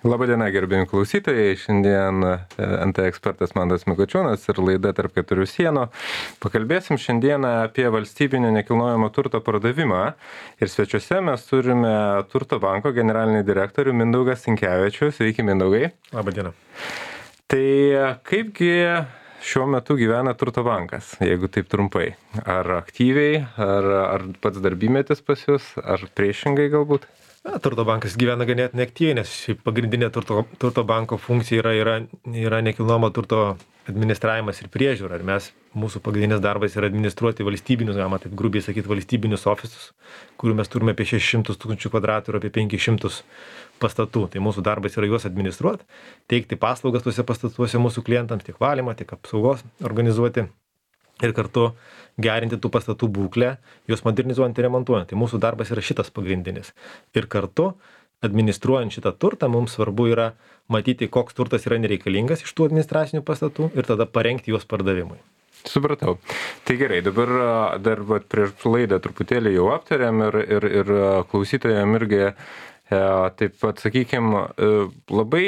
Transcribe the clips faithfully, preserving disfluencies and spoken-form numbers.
Labadiena, gerbėjami klausytojai. Šiandien N T ekspertas Mantas Mikočiūnas ir laida Tarp keturių sienų. Pakalbėsim šiandieną apie valstybinio nekilnojamo turto pardavimą. Ir svečiuose mes turime Turto banko generalinį direktorių Mindaugą Sinkevičių. Sveiki, Mindaugai. Labadiena. Tai kaipgi šiuo metu gyvena Turto bankas, jeigu taip trumpai? Ar aktyviai, ar, ar pats darbymetis pas jūs, ar priešingai galbūt? Na, Turto bankas gyvena ganėtinai aktyviai, nes šiaip pagrindinė turto, turto banko funkcija yra, yra, yra nekilnojamo turto administravimas ir priežiūra. Ir mes, mūsų pagrindinis darbas yra administruoti valstybinius, galima taip grubiai sakyti, valstybinius ofisus, kurių mes turime apie šešis šimtus tūkstančių kvadratų ir apie penkis šimtus pastatų. Tai mūsų darbas yra juos administruoti, teikti paslaugas tuose pastatuose mūsų klientams, tiek valymą, tiek apsaugos organizuoti. Ir kartu gerinti tų pastatų būklę, juos modernizuojant ir remontuojant. Tai mūsų darbas yra šitas pagrindinis. Ir kartu, administruojant šitą turtą, mums svarbu yra matyti, koks turtas yra nereikalingas iš tų administracinių pastatų ir tada parengti juos pardavimui. Supratau. Tai gerai, dabar dar vat, prieš laidą truputėlį jau aptarėm ir, ir, ir klausytojam irgi taip pat, sakykime, labai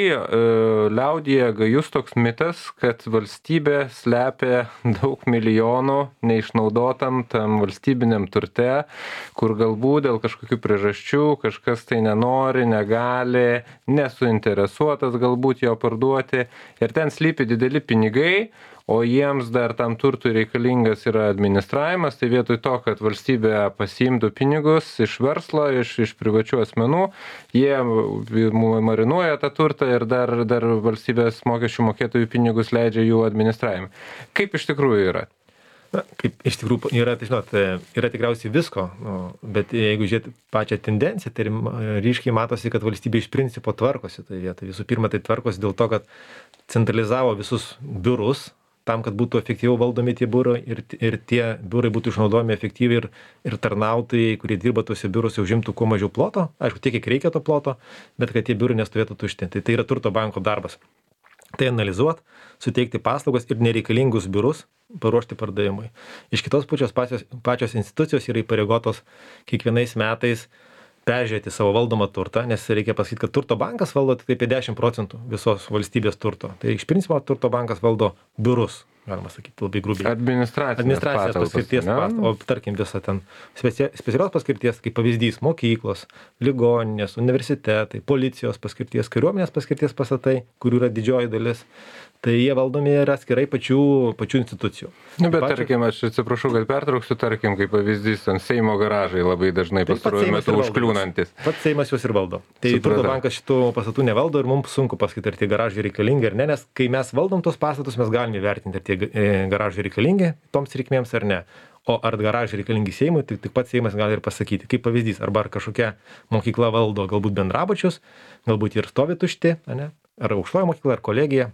liaudyje gajus toks mitas, kad valstybė slepia daug milijonų neišnaudotam tam valstybiniam turte, kur galbūt dėl kažkokių priežasčių kažkas tai nenori, negali, nesuinteresuotas galbūt jo parduoti ir ten slypi dideli pinigai, o jiems dar tam turtui reikalingas yra administravimas, tai vietoj to, kad valstybė pasiimtų pinigus iš verslo, iš, iš privačių asmenų, jie marinuoja tą turtą ir dar, dar valstybės mokesčių mokėtojų pinigus leidžia jų administravimui. Kaip iš tikrųjų yra? Na, kaip iš tikrųjų yra, tai žinot, yra tikriausiai visko, nu, bet jeigu žiūrėti pačią tendenciją, tai ryškiai matosi, kad valstybė iš principo tvarkosi. Tai vietoj visų pirma, tai tvarkosi dėl to, kad centralizavo visus biurus, tam, kad būtų efektyviau valdomi tie biurai ir, ir tie biurai būtų išnaudojami efektyviai ir, ir tarnautojai, kurie dirba tuose biuruose, užimtų kuo mažiau ploto, aišku, tiek, kiek reikia to ploto, bet kad tie biurai nestovėtų tušti. Tai tai yra Turto banko darbas. Tai analizuoti, suteikti paslaugas ir nereikalingus biurus paruošti pardavimui. Iš kitos pusės pačios, pačios institucijos yra įpareigotos kiekvienais metais peržiūrėti savo valdomą turtą, nes reikia pasakyti, kad Turto bankas valdo tik apie dešimt procentų visos valstybės turto. Tai iš principo Turto bankas valdo biurus, galima sakyti, labai grubiai. Administracinės, Administracinės paskirties pastatus, o tarkim visą ten specia, specialios paskirties, kaip pavyzdys, mokyklos, ligoninės, universitetai, policijos paskirties, kariuomenės paskirties pastatai, kurių yra didžioji dalis. Tai jie valdomi yra atskirai pačių, pačių institucijų. Nu, bet Pačio... tarkim, aš atsiprašau, kad pertrauksiu, tarkim, kaip pavyzdys, ten Seimo garažai labai dažnai pastaruoju metu užkliūnantis. Pats Seimas juos ir valdo. Tai Turto bankas šitų pastatų nevaldo ir mums sunku pasakyti, ar tie garažai reikalingi ar ne, nes kai mes valdom tos pastatus, mes galime vertinti, ar tie garažai reikalingi toms reikmėms ar ne. O ar garažai reikalingi Seimui, tik, tik pats Seimas gali ir pasakyti. Kaip pavyzdys, arba ar kažkokia mokykla valdo galbūt bendrabučius, galbūt ir stovi tušti, ne? Ar aukštoji mokykla, ar kolegija.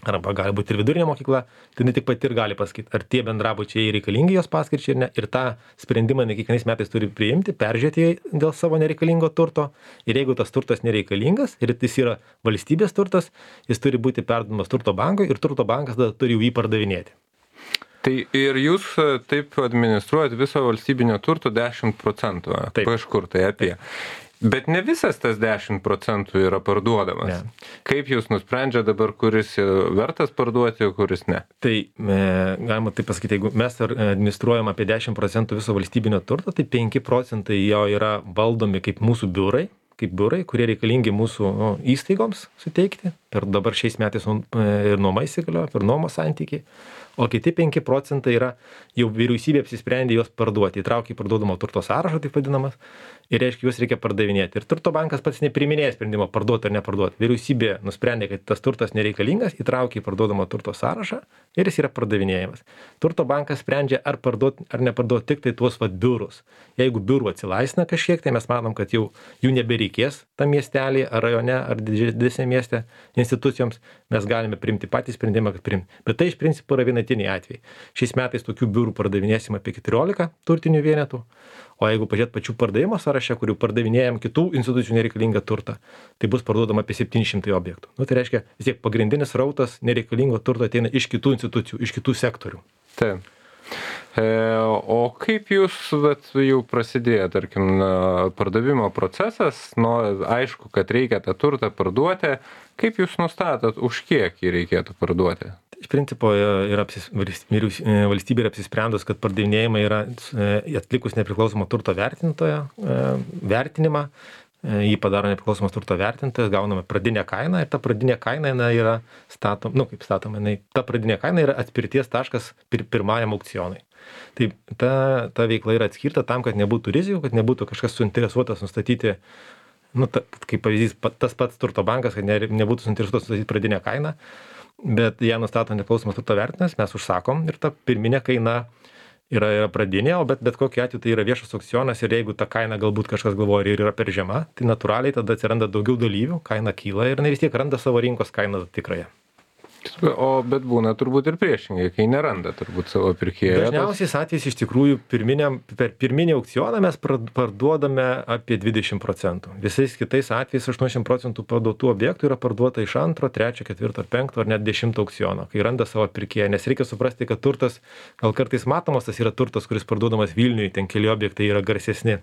Arba gali būti ir vidurinė mokykla, tai ne tik pati ir gali pasakyti, ar tie bendrabučiai reikalingi jos paskirčiai ir ne. Ir tą sprendimą ne kiekvienais metais turi priimti, peržiūrėti dėl savo nereikalingo turto. Ir jeigu tas turtas nereikalingas ir jis yra valstybės turtas, jis turi būti perduodamas Turto bankui ir Turto bankas tada turi jį pardavinėti. Tai ir jūs taip administruojat viso valstybinio turto dešimt procentų, kažkur tai apie. Taip. Bet ne visas tas dešimt procentų yra parduodamas. Ne. Kaip jūs nusprendžia dabar, kuris vertas parduoti, o kuris ne? Tai e, galima taip pasakyti, jeigu mes administruojam apie dešimt procentų viso valstybinio turto, tai penki procentai jo yra valdomi kaip mūsų biurai, kaip biurai, kurie reikalingi mūsų nu, įstaigoms suteikti. Ir dabar šiais metais ir nuoma įsigaliojo, ir nuomos santykiai. O kiti penki procentai yra jau vyriausybė apsisprendė juos parduoti, įtraukė į parduodamo turto sąrašą, taip vadinamas, ir reiškia, juos reikia pardavinėti. Ir Turto bankas pats nepriiminėja sprendimo parduoti ar neparduoti. Vyriausybė nusprendė, kad tas turtas nereikalingas, įtraukė į parduodamo turto sąrašą ir jis yra pardavinėjamas. Turto bankas sprendžia, ar parduoti ar neparduoti tik tai tuos vat biurus. Jeigu biurų atsilaisvina kažkiek, tai mes manom, kad jau jų nebereikės tam miestelį, ar rajone, ar didesnė mieste institucijoms, mes galime priimti patį sprendimą, kad priimti. Bet tai iš principo yra vienetiniai atvejai. Šiais metais tokių biurų pardavinėsim apie keturiolika turtinių vienetų, o jeigu pažiūrėt pačių pardavimo sąraše, kurių pardavinėjam kitų institucijų nereikalingą turtą, tai bus parduodama apie septyni šimtai objektų. Nu, tai reiškia, vis tiek pagrindinis rautas nereikalingo turto ateina iš kitų institucijų, iš kitų sektorių. Taip. E, o kaip jūs, vat, jau prasidėjo, tarkim, na, pardavimo procesas, nu, aišku, kad reikia tą turtą parduoti, kaip jūs nustatot, už kiek jį reikėtų parduoti? Iš principo yra apsis, vyriaus- valstybė yra apsisprendus, kad pardavinėjimai yra e, atlikus nepriklausomą turto vertintojo e, vertinimą, e, jį padaro nepriklausomas turto vertintojas, gauname pradinę kainą ir ta pradinė kaina jinai yra statoma, nu kaip statoma, jinai, ta pradinė kaina yra atspirties taškas pir, pirmajam aukcionui. Tai ta, ta veikla yra atskirta tam, kad nebūtų rizikų, kad nebūtų kažkas suinteresuotas nustatyti, nu, ta, kaip pavyzdys, pa- tas pats turto bankas, kad ne, nebūtų suinteresuotas nustatyti pradinę kainą, bet ją nustato nepriklausomas turto vertintojas, mes užsakom ir ta pirminė kaina yra, yra pradinė, o bet, bet kokiu atveju tai yra viešas aukcionas ir jeigu ta kaina galbūt kažkas galvoja ir yra per žema, tai natūraliai tada atsiranda daugiau dalyvių, kaina kyla ir jinai vis tiek randa savo rinkos kainą tikrąją. O bet būna turbūt ir priešingai, kai neranda turbūt savo pirkėjo. Dažniausiais atvejais iš tikrųjų pirminiam, per pirminį aukcioną mes prad- parduodame apie dvidešimt procentų. Visais kitais atvejais aštuoniasdešimt procentų parduotų objektų yra parduota iš antro, trečio, ketvirto ar penkto ar net dešimto aukciono, kai randa savo pirkėją. Nes reikia suprasti, kad turtas, gal kartais matomas, tas yra turtas, kuris parduodamas Vilniui, ten keli objektai yra garsesni.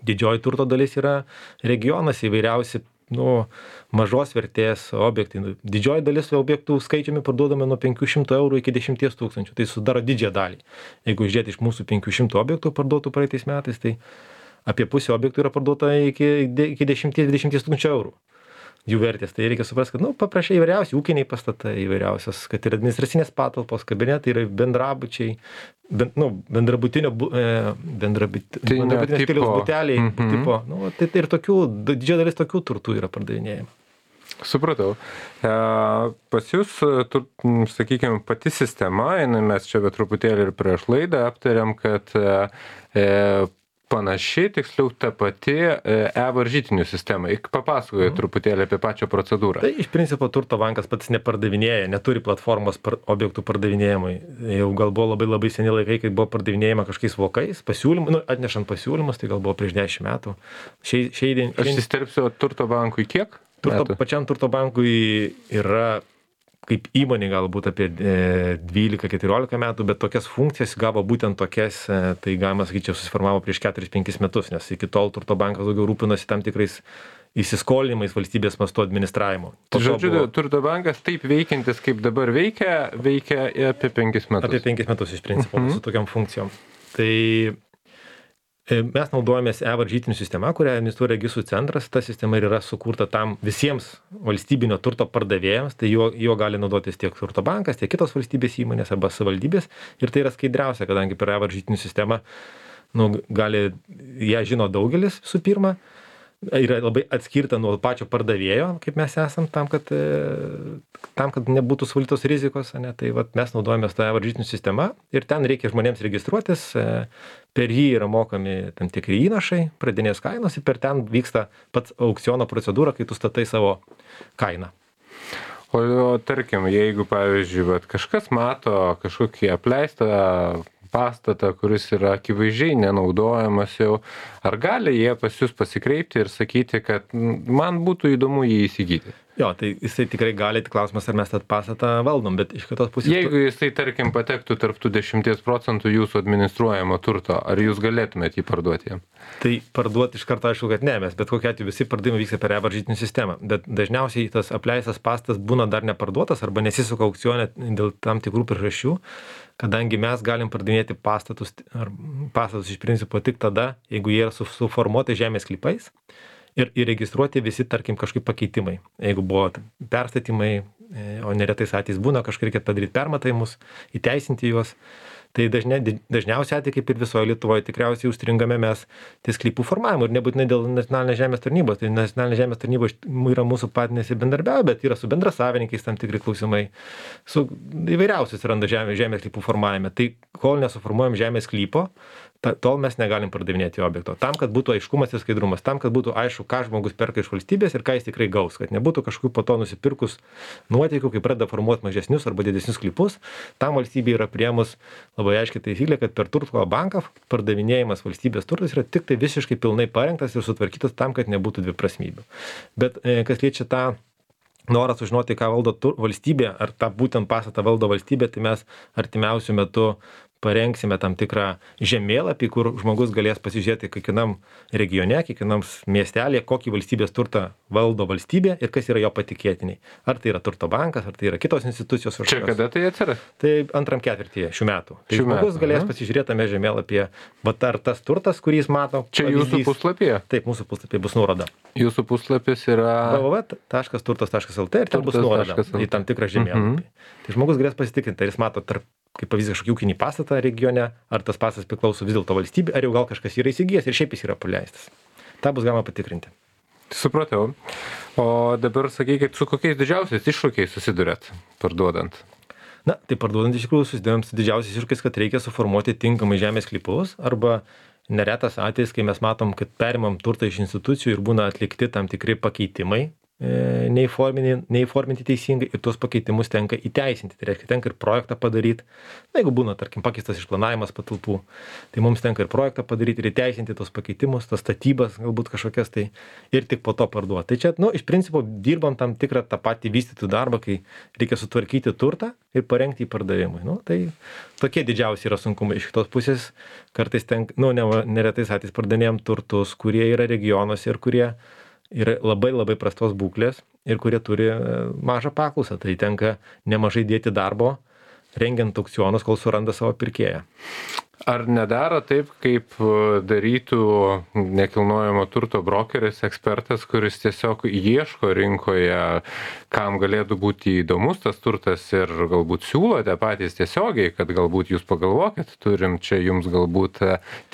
Didžioji turto dalis yra regionas įvairiausi, nu, mažos vertės objektai. Didžioji dalis objektų skaičiumi parduodame nuo penkių šimtų eurų iki dešimties tūkstančių. Tai sudaro didžiąją dalį. Jeigu žiūrėti iš mūsų penkių šimtų objektų parduotų praeitais metais, tai apie pusę objektų yra parduota iki, iki dešimties dvidešimt tūkstančių eurų. Jų vertės. Tai reikia suprasti, kad, nu, paprašai įvairiausi ūkiniai pastatai, įvairiausios, kad ir administracinės patalpos, kabinetai yra bendrabučiai, ben, nu, bendrabutinio, bu- e, bendrabut, Tai ne bendrabutinio tipo. stiliaus buteliai, Mhm. tipo, nu, tai, tai ir tokių, didžioji dalis tokių turtų yra pardavinėjama. Supratau. E, pas jūs, tur, sakykime, pati sistema, jinai mes čia bet truputėlį ir prieš laidą aptariam, kad e, e, panaši, tiksliau ta pati e, e-varžytinių sistema. Papasakoju Mhm. truputėlį apie pačią procedūrą. Tai iš principo turto bankas pats nepardavinėja, neturi platformos par, objektų pardavinėjimui. Jau gal buvo labai labai seni laikai, kai buvo pardavinėjama kažkokiais vokais, pasiūlymų, nu, atnešant pasiūlymus, tai gal buvo prieš dešimt metų. Šiai, šiai, Aš įsterpsiu turto bankui kiek? Turto, metų? pačiam turto bankui yra kaip įmonė galbūt apie e, dvylika keturiolika metų, bet tokias funkcijas gavo būtent tokias, e, tai galima sakyti, čia susiformavo prieš keturis penkis metus, nes iki tol turto bankas daugiau rūpinosi tam tikrais įsiskolinimais valstybės mastu administravimu. Po to Žodžiu, buvo turto bankas taip veikiantis, kaip dabar veikia, veikia apie penkis metus. apie penkis metus iš principo Mhm. su tokiam funkcijom. Tai e, mes naudojamės e-varžytinių sistema, kurią administruoja registrų centras. Ta sistema ir yra sukurta tam visiems valstybinio turto pardavėjams, tai juo, juo gali naudotis tiek turto bankas, tiek kitos valstybės įmonės arba savivaldybės. Ir tai yra skaidriausia, kadangi per e-varžytinių sistemą, nu, gali, ją žino daugelis visų pirma, yra labai atskirta nuo pačio pardavėjo, kaip mes esam, tam, kad, e, tam, kad nebūtų suvaldytos rizikos, ane? Tai vat, mes naudojamės tą varžytinių sistemą ir ten reikia žmonėms registruotis, e, per jį yra mokami tam tikri įnašai, pradinės kainos ir per ten vyksta pats aukciono procedūra, kai tu statai savo kainą. O, o tarkim, jeigu, pavyzdžiui, vat, kažkas mato kažkokį apleistą pastatą, kuris yra akivaizdžiai nenaudojamas jau, ar gali jie pas jūs pasikreipti ir sakyti, kad mm, man būtų įdomu jį įsigyti? Jo, tai jisai tikrai gali, tik klausimas, ar mes tą pastatą valdom, bet iš kitos pusės... Jeigu jisai, tarkim, patektų tarp tų dešimties procentų jūsų administruojamo turto, ar jūs galėtumėte jį parduoti jam? Tai parduoti iš karto aišku, kad ne, mes bet kokiu atveju visi pardavimai vyksta per e-varžytinių sistemą, bet dažniausiai tas apleistas pastatas būna dar neparduotas arba nesisuka aukcione dėl tam tikrų priežasčių, kadangi mes galim pardavinėti pastatus, ar pastatus iš principo tik tada, jeigu jie yra su- suformuoti žemės sklypais ir įregistruoti visi, tarkim, kažkaip pakeitimai. Jeigu buvo perstatymai, e, o neretais atvejais būna, kažkaip reikia padaryti permatavimus, įteisinti juos. Tai dažnia, dažniausiai atveju, kaip ir visoje Lietuvoje, tikriausiai užstringame mes ties sklypų formavimu ir nebūtinai dėl nacionalinės žemės tarnybos. Tai nacionalinė žemės tarnyba iš- yra mūsų partneris ir bendarbiauja, bet yra su bendrasavininkais tam tikri klausimai. Su įvairiausiais randa žemės, žemės sklypų formavime. Tai kol nesuformuojam žemės sklypo, ta, tol mes negalim pardavinėti objekto. Tam, kad būtų aiškumas ir skaidrumas, tam, kad būtų aišku, ką žmogus perka iš valstybės ir ką jis tikrai gaus, kad nebūtų kažkokių po to nusipirkus nuotykių, kai pradeda formuoti mažesnius arba didesnius sklypus, tam valstybė yra priemus labai aiškiai taisyklė, kad per turto banką pardavinėjimas valstybės turtas yra tik tai visiškai pilnai parengtas ir sutvarkytas tam, kad nebūtų dviprasmybių. Bet e, kas liečia tą norą sužinoti, ką valdo tur, valstybė, ar tą būtent pastatą valdo valstybė, tai mes artimiausių metų parengsime tam tikrą žemėlapį, kur žmogus galės pasižiūrėti kiekvienam regione, kiekvienam miestelėje, kokį valstybės turtą valdo valstybė ir kas yra jo patikėtiniai. Ar tai yra turto bankas, ar tai yra kitos institucijos. Čia kada tai atsiras? Tai antram ketvirtyje šių metų. Tai šių žmogus metų, galės aha. pasižiūrėti tame žemėlapyje, bet ar tas turtas, kurį jis mato. Čia pavyzdys, jūsų puslapyje? Taip, mūsų puslapyje bus nuoroda. Jūsų puslapis yra w w w taškas turtas taškas l t ir ten bus nuoroda į tam tikrą žemėlapį. Mm-hmm. Tai žmogus galės pasitikrinti, ar jis mato tarp, kaip pavyzdys, kažkokį ūkinį pastatą regione, ar tas pastatas priklauso vis dėlto valstybė, ar jau gal kažkas yra įsigijęs ir šiaip jis yra paleistas. Ta bus galima patikrinti. Supratau. O dabar sakykit, su kokiais didžiausiais iššūkiais susidurėt parduodant? Na, tai parduodant iš tikrųjų susidurėm su didžiausiais iššūkiais, kad reikia suformuoti tinkamai žemės sklypus arba neretas atvejis, kai mes matom, kad perimam turtą iš institucijų ir būna atlikti tam tikri pakeitimai, e, neįforminti, neįforminti teisingai ir tuos pakeitimus tenka įteisinti. Tai reiškia, tenka ir projektą padaryti. Na, jeigu būna, tarkim, pakeistas išplanavimas patalpų, tai mums tenka ir projektą padaryti ir įteisinti tos pakeitimus, tas statybas galbūt kažkokias tai ir tik po to parduoti. Tai čia, nu, iš principo dirbam tam tikrą tą patį vystytų darbą, kai reikia sutvarkyti turtą ir parengti į pardavimui. Nu, tai tokie didžiausi yra sunkumai. Iš kitos pusės kartais tenka, nu, ne, neretais atvejais pardavinėjam turtus, kurie yra regionuose ir kurie yra labai labai prastos būklės ir kurie turi mažą paklausą. Tai tenka nemažai dėti darbo, rengiant aukcionus, kol suranda savo pirkėją. Ar nedaro taip, kaip darytų nekilnojamo turto brokeris, ekspertas, kuris tiesiog ieško rinkoje, kam galėtų būti įdomus tas turtas ir galbūt siūlote patys tiesiogiai, kad galbūt jūs pagalvokit, turim čia jums galbūt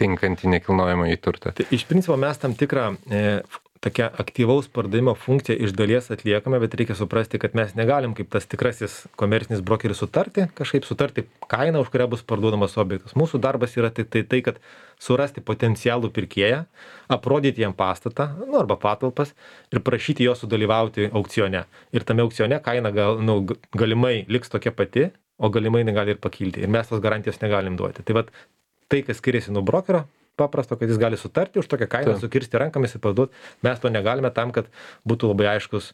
tinkantį nekilnojamą į turtą? Tai iš principo mes tam tikrą e, tokia aktyvaus pardavimo funkcija iš dalies atliekame, bet reikia suprasti, kad mes negalim kaip tas tikrasis komercinis brokeris sutarti, kažkaip sutarti kainą, už kurią bus parduodamas objektas. Mūsų darbas yra tik tai, tai kad surasti potencialų pirkėją, aprodyti jam pastatą, nu, arba patalpas ir prašyti jo sudalyvauti aukcione. Ir tame aukcione kaina gal, nu, galimai liks tokia pati, o galimai negali ir pakilti. Ir mes tos garantijos negalim duoti. Tai vat, tai, kas skiriasi nuo brokerio, paprasto, kad jis gali sutarti už tokią kainą, Ta. sukirsti rankomis ir parduoti. Mes to negalime tam, kad būtų labai aiškus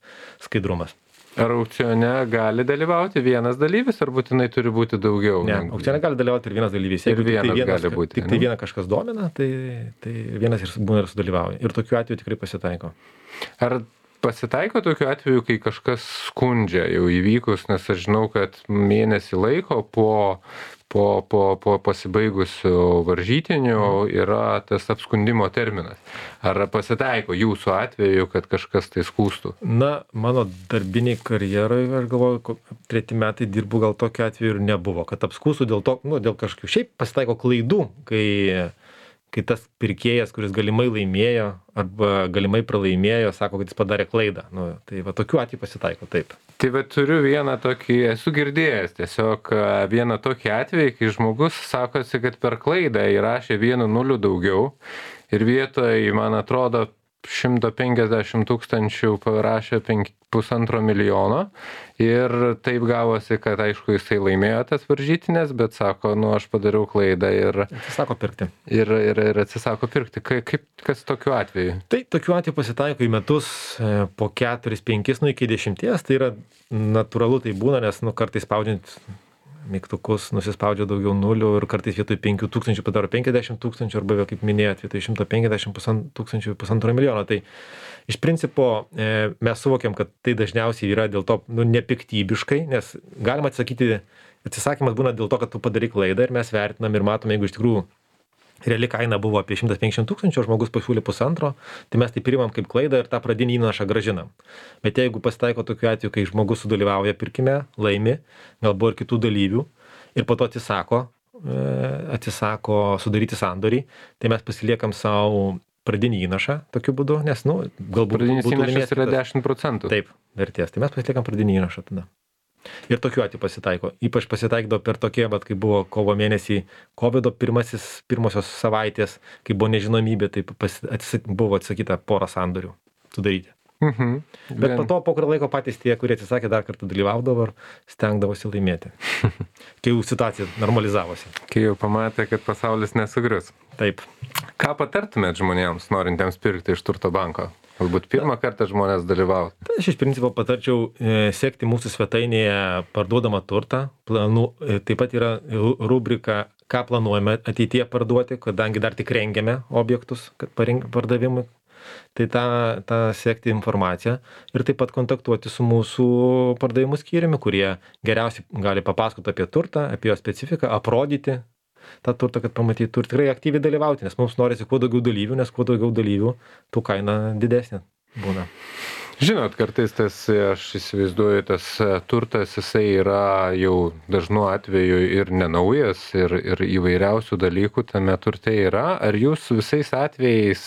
skaidrumas. Ar aukcione gali dalyvauti vienas dalyvis, ar būtinai turi būti daugiau? Ne, aukcione gali dalyvauti ir vienas dalyvis. Jeigu ir vienas, tik tai vienas, gali būti, tik tai vieną kažkas domina, tai, tai vienas ir būna ir sudalyvauja. Ir tokiu atveju tikrai pasitaiko. Ar pasitaiko tokiu atveju, kai kažkas skundžia jau įvykus, nes aš žinau, kad mėnesį laiko po Po, po, po pasibaigusių varžytinių yra tas apskundimo terminas. Ar pasitaiko jūsų atveju, kad kažkas tai skūstų? Na, mano darbiniai karjerai, aš galvoju, treti metai dirbu, gal tokiu atveju ir nebuvo, kad apskūstų dėl to, nu, dėl kažkokių šiaip pasitaiko klaidų, kai, kai tas pirkėjas, kuris galimai laimėjo arba galimai pralaimėjo, sako, kad jis padarė klaidą. Nu, tai va, tokiu atveju pasitaiko, taip. Tai va, turiu vieną tokį, esu girdėjęs tiesiog vieną tokį atvejį, kai žmogus sakosi, kad per klaidą įrašė vienu nuliu daugiau ir vietoj, man atrodo, šimtas penkiasdešimt tūkstančių parašė pusantro milijono ir taip gavosi, kad aišku jisai laimėjo tas varžytinės, bet sako, nu aš padariau klaidą ir atsisako pirkti. Ir, ir, ir atsisako pirkti. Kaip, kas tokiu atveju? Tai tokiu atveju pasitaiko į metus po keturis, penkis, nu iki dešimties, tai yra natūralu, tai būna, nes nu kartais spaudžiant mygtukus nusispaudžia daugiau nulių ir kartais vietoj penkių tūkstančių padaro penkiasdešimt tūkstančių arba, kaip minėjot, vietoj šimto penkiasdešimt tūkstančių pusantro milijono. Tai iš principo e, mes suvokiam, kad tai dažniausiai yra dėl to nu, nepiktybiškai, nes galima atsakyti, atsisakymas būna dėl to, kad tu padarai klaidą ir mes vertinam ir matom, jeigu iš tikrųjų reali kaina buvo apie šimtas penkiasdešimt tūkstančių, o žmogus pasiūlė pusantro, tai mes tai priimam kaip klaidą ir tą pradinį įnašą grąžinam. Bet jeigu pasitaiko tokiu atveju, kai žmogus sudalyvauja pirkime, laimi, gal buvo ir kitų dalyvių, ir po to atsisako, atsisako sudaryti sandorį, tai mes pasiliekam savo pradinį įnašą tokiu būdu, nes, nu, galbūt pradinis įnašas yra dešimt procentų. Taip, vertės. Tai mes pasiliekam pradinį įnašą tada. Ir tokiu atveju pasitaiko. Ypač pasitaikdavo per tokie, bet kai buvo kovo mėnesį kovido pirmasis, pirmosios savaitės, kai buvo nežinomybė, tai pas, atsisak, buvo atsakyta porą sandorių sudaryti. Mhm. Bet Vien... po to, po kurio laiko patys tie, kurie atsisakė, dar kartą dalyvaudavo ir stengdavosi laimėti. Kai jau situacija normalizavosi. Kai jau pamatė, kad pasaulis nesugrius. Taip. Ką patartumėt žmonėms, norintiems pirkti iš turto banko? Galbūt pirmą kartą žmonės dalyvauti. Tai aš iš principo patarčiau e, sekti mūsų svetainėje parduodamą turtą. Planų, e, taip pat yra rubrika ką planuojame ateityje parduoti, kadangi dar tik rengiame objektus, kad parink, pardavimui. Tai tą, tą sekti informaciją ir taip pat kontaktuoti su mūsų pardavimų skyriumi, kurie geriausiai gali papasakoti apie turtą, apie jo specifiką, aprodyti tą turtą, kad pamatytų ir tikrai aktyviai dalyvauti, nes mums norisi kuo daugiau dalyvių, nes kuo daugiau dalyvių, tų kaina didesnė būna. Žinot, kartais tas, aš įsivaizduoju, tas turtas, jisai yra jau dažnu atveju ir nenaujas, ir, ir įvairiausių dalykų tame turte yra. Ar jūs visais atvejais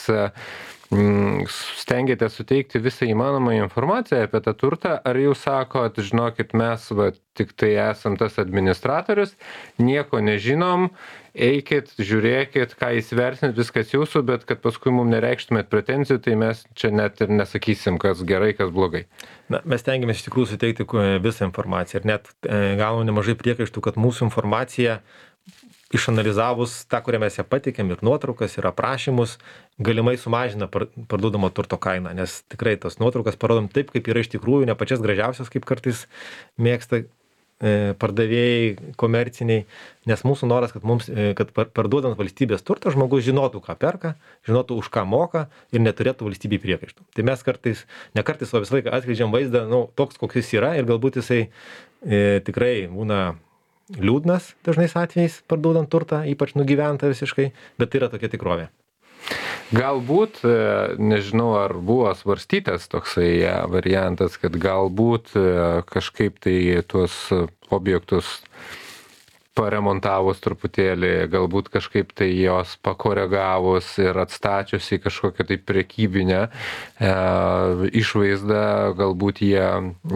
stengiate suteikti visą įmanomą informaciją apie tą turtą, ar jūs sakot, žinokit, mes va, tik tai esam tas administratorius, nieko nežinom, eikit, žiūrėkit, ką įsivertinit, viskas jūsų, bet kad paskui mums nereikštumėt pretenzijų, tai mes čia net ir nesakysim, kas gerai, kas blogai. Na, mes tengiamės iš tikrųjų suteikti visą informaciją ir net e, gavom nemažai priekaištų, kad mūsų informacija išanalizavus tą, kurią mes ją patikėm, ir nuotraukas, ir aprašymus, galimai sumažina parduodamo turto kainą, nes tikrai tos nuotraukas parodom taip, kaip yra iš tikrųjų, ne pačias gražiausias, kaip kartais mėgsta e, pardavėjai komerciniai, nes mūsų noras, kad, mums, e, kad parduodant valstybės turtą, žmogus žinotų, ką perka, žinotų, už ką moka ir neturėtų valstybei priekaištų. Tai mes kartais, ne kartais, o visą laiką atskleidžiam vaizdą, nu, toks, koks jis yra, ir galbūt jisai e, tikrai būna liūdnas dažnais atvejais parduodant turtą, ypač nugyventą visiškai, bet tai yra tokia tikrovė. Galbūt, nežinau, ar buvo svarstytas toksai variantas, kad galbūt kažkaip tai tuos objektus paremontavus truputėlį, galbūt kažkaip tai jos pakoregavus ir atstačius į kažkokią tai prekybinę e, išvaizdą, galbūt jie,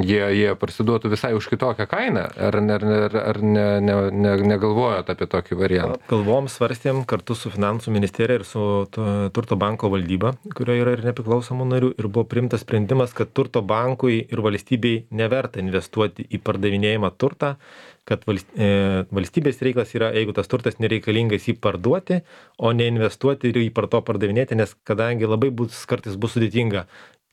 jie, jie parsiduotų visai už kitokią kainą. Ar, ar, ar, ar ne, ne, ne, negalvojot apie tokį variantą? Galvom, svarstėm kartu su Finansų ministerija ir su Turto banko valdyba, kurioje yra ir nepriklausomų narių, ir buvo priimtas sprendimas, kad Turto bankui ir valstybei neverta investuoti į pardavinėjimą turtą, kad valstybės reikalas yra, jeigu tas turtas nereikalingas, jį parduoti, o ne investuoti ir jį par to pardavinėti, nes kadangi labai bus, kartais bus sudėtinga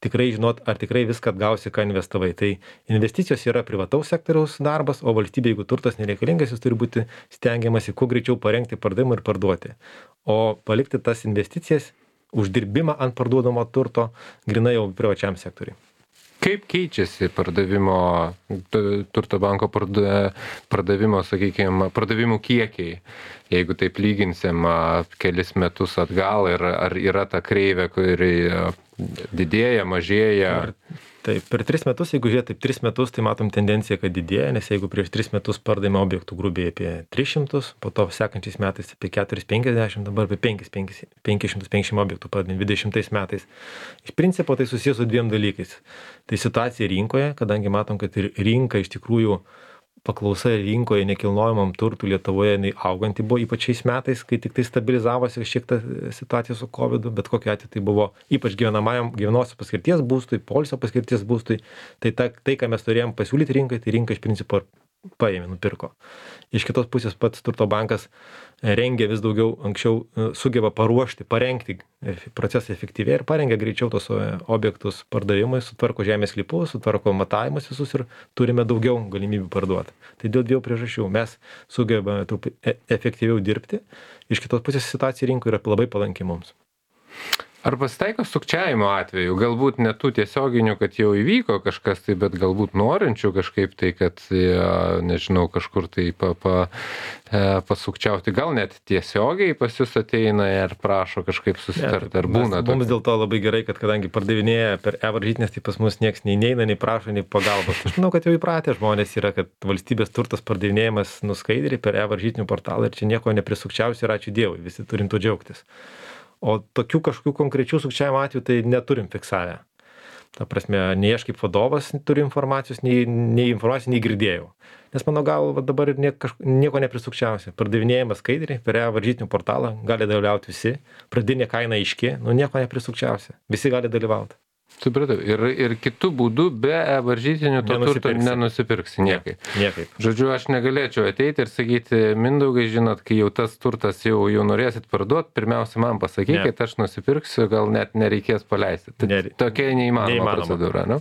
tikrai žinot, ar tikrai viską atgausi, ką investavai. Tai investicijos yra privataus sektoriaus darbas, o valstybė, jeigu turtas nereikalingas, jis turi būti stengiamasi kuo greičiau parengti pardavimą ir parduoti. O palikti tas investicijas, uždirbimą ant parduodamo turto, grinai jau privačiam sektoriui. Kaip keičiasi pardavimo, Turto banko pardavimo, sakykime, pardavimų kiekiai, jeigu taip lyginsim kelis metus atgal, ir ar yra ta kreivė, kuri didėja, mažėja? Taip, per tris metus, jeigu žiūrėt, taip tris metus, tai matom tendenciją, kad didėja, nes jeigu prieš tris metus pardavėme objektų grubiai apie tris šimtus, po to sekančiais metais apie keturi šimtai penkiasdešimt, dabar apie penki šimtai penkiasdešimt objektų pardavėme dvidešimtais metais. Iš principo tai susijęs su dviem dalykais. Tai situacija rinkoje, kadangi matom, kad ir rinka iš tikrųjų paklausa rinkoje nekilnojamam turtui Lietuvoje auganti buvo, ypač šiais metais, kai tik tai stabilizavosi šiek tiek situacija su kovidu, bet kokiu atveju tai buvo ypač gyvenamajam, gyvenosios paskirties būstui, poilsio paskirties būstui. Tai, ta, tai, ką mes turėjom pasiūlyti rinkai, tai rinka iš principo paėmė, nupirko. Iš kitos pusės pats Turto bankas rengia vis daugiau, anksčiau sugeba paruošti, parengti procesą efektyviai ir parengia greičiau tos objektus pardavimui, sutvarko žemės sklypus, sutvarko matavimus visus ir turime daugiau galimybių parduoti. Tai dėl dviejų priežasčių mes sugebame efektyviau dirbti, iš kitos pusės situacija rinkoje yra labai palanki mums. Ar pasitaiko sukčiavimo atveju? Galbūt ne tų tiesioginių, kad jau įvyko kažkas tai, bet galbūt norinčių kažkaip tai, kad, nežinau, kažkur tai pa, pa, pasukčiauti. Gal net tiesiogiai pas jūs ateina ir prašo kažkaip susitarti, ar būna? Mes, mums dėl to labai gerai, kad kadangi pardavinėja per e-varžytinės, tai pas mus nieks nei neina, nei prašo, nei pagalbos. Aš manau, kad jau įpratę žmonės yra, kad valstybės turtas pardavinėjimas nuskaidriai per e-varžytinių portalą ir čia nieko neprisukčiausi ir ačiū Dievui, visi turim tuo džiaugtis. O tokių kažkokių konkrečių sukčiavimo atvejų tai neturim fiksavę. Ta prasme, nei aš kaip vadovas turiu informacijos, nei, nei informacijos, nei girdėjau. Nes mano galva dabar nie, kažko, nieko neprisukčiausia. Pardavinėjimas skaidriai per e-varžytinių portalą, gali dalyvauti visi, pradinė kaina aiški, nu nieko neprisukčiausia. Visi gali dalyvauti. Supratau. Ir, ir kitų būdų be varžytinių to turto Nenusipirksi. nenusipirksi niekaip. Niekaip. Žodžiu, aš negalėčiau ateiti ir sakyti, Mindaugai, žinot, kai jau tas turtas jau, jau norėsit parduoti, pirmiausia man pasakykit, aš nusipirksiu, gal net nereikės paleisti. Tai Nere- tokia neįmanoma, neįmanoma. procedūra, ne?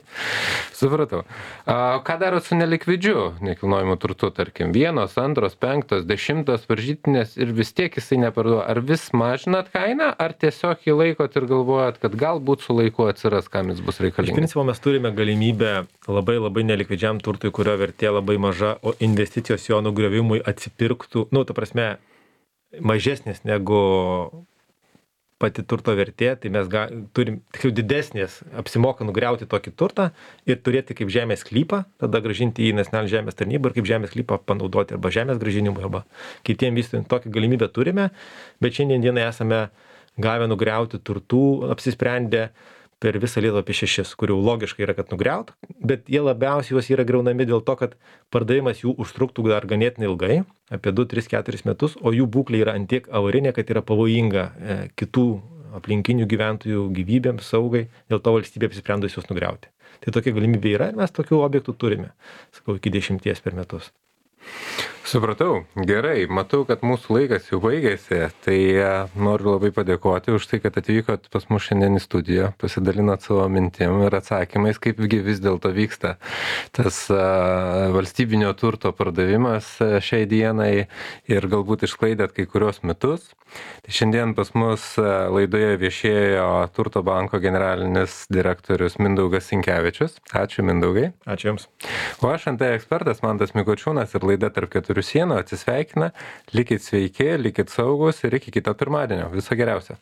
Supratau. A, ką daro su nelikvidžiu nekilnojimu turtu, tarkim, vienos, antros, penktos, dešimtos varžytinės ir vis tiek jisai neparduoda. Ar vis mažinat kainą, ar tiesiog jį laikot ir galvojat, kad galbūt su laiku atsiras, kam jis bus Iš reikalingas? principo mes turime galimybę labai labai nelikvidžiam turtui, kurio vertė labai maža, o investicijos jo nugriovimui atsipirktų, nu, ta prasme, mažesnės negu pati turto vertė, tai mes ga, turim tiksliau didesnės, apsimoka nugriauti tokį turtą ir turėti kaip žemės sklypą, tada gražinti į nacionalinę žemės tarnybą ir kaip žemės sklypą panaudoti arba žemės grąžinimui, arba kitiem vystytojam. Tokią galimybę turime, bet šiandien dienai esame gavę nugriauti turtų, apsisprendę per visą Lietuvą apie šešis, kurių logiškai yra, kad nugriaut, bet jie labiausiai juos yra griaunami dėl to, kad pardavimas jų užtruktų dar ganėtinai ilgai, apie du, tris, keturis metus, o jų būklė yra antiek avarinė, kad yra pavojinga e, kitų aplinkinių gyventojų gyvybėms, saugai, dėl to valstybė apsisprendusi juos nugriauti. Tai tokia galimybė yra ir mes tokių objektų turime, sakau, iki dešimties per metus. Supratau, gerai, matau, kad mūsų laikas jau baigėsi, tai noriu labai padėkoti už tai, kad atvykot pas mus šiandien į studiją, pasidalinot savo mintim ir atsakymais, kaipgi vis dėlto vyksta tas a, valstybinio turto pardavimas a, šiai dienai ir galbūt išsklaidėt kai kurios mitus. Tai šiandien pas mus a, laidoje viešėjo Turto banko generalinis direktorius Mindaugas Sinkevičius. Ačiū, Mindaugai. Ačiū Jums. O aš ant ekspertas Mantas Mikočiūnas ir laida Tarp keturių sienų atsisveikina. Likit sveiki, likit saugus ir iki kito pirmadienio. Viso geriausio.